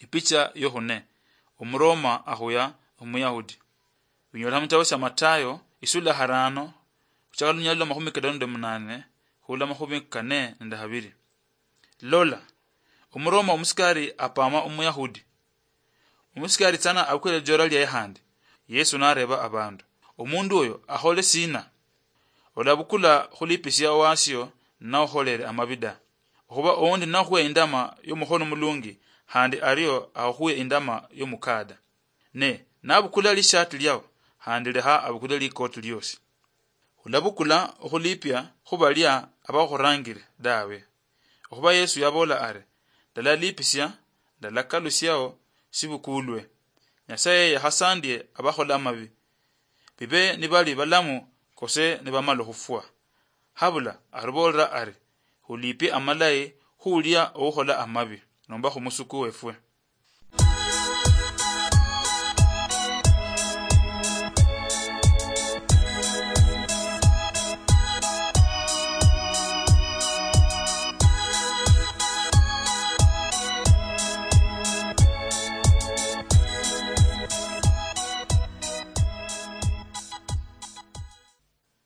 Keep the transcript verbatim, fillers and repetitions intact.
Ipicha yohune: Omuroma ahuya Omuyahudi. Binyola mutabo sya Matayo isula harano, kuchaka lunyalo lwa mahumi kadano nde munane hula mahumi kane nende habiri. Lola, Omuroma omusikari apama Omuyahudi. Omusikari tsana abukule lijora lyaye handi. Yesu nareba abandu: "Omundu oyo ahole sina? Olabukula khulipisia owasio naoholere amabi da. Okhuba oundi nakhwe indama yomuhono mulungi, handi ario akhwe indama yomukada. Ne nabukula lishati liao, handi leha abukule likoti liosi. Khulabukula okhulipia khubalia abakhurangire dawe." Okhuba Yesu yabola ari: "Ndalalipisia, ndalakalusiao sibukulwe. Nyasaye yakhasandie abakhola amabi, bibe nibali balamu kose nibamala okhufwa. Habula arubolera ari: 'Khulipie amalayi khulia oukhola amabi nomba khumusuku wefwe.'"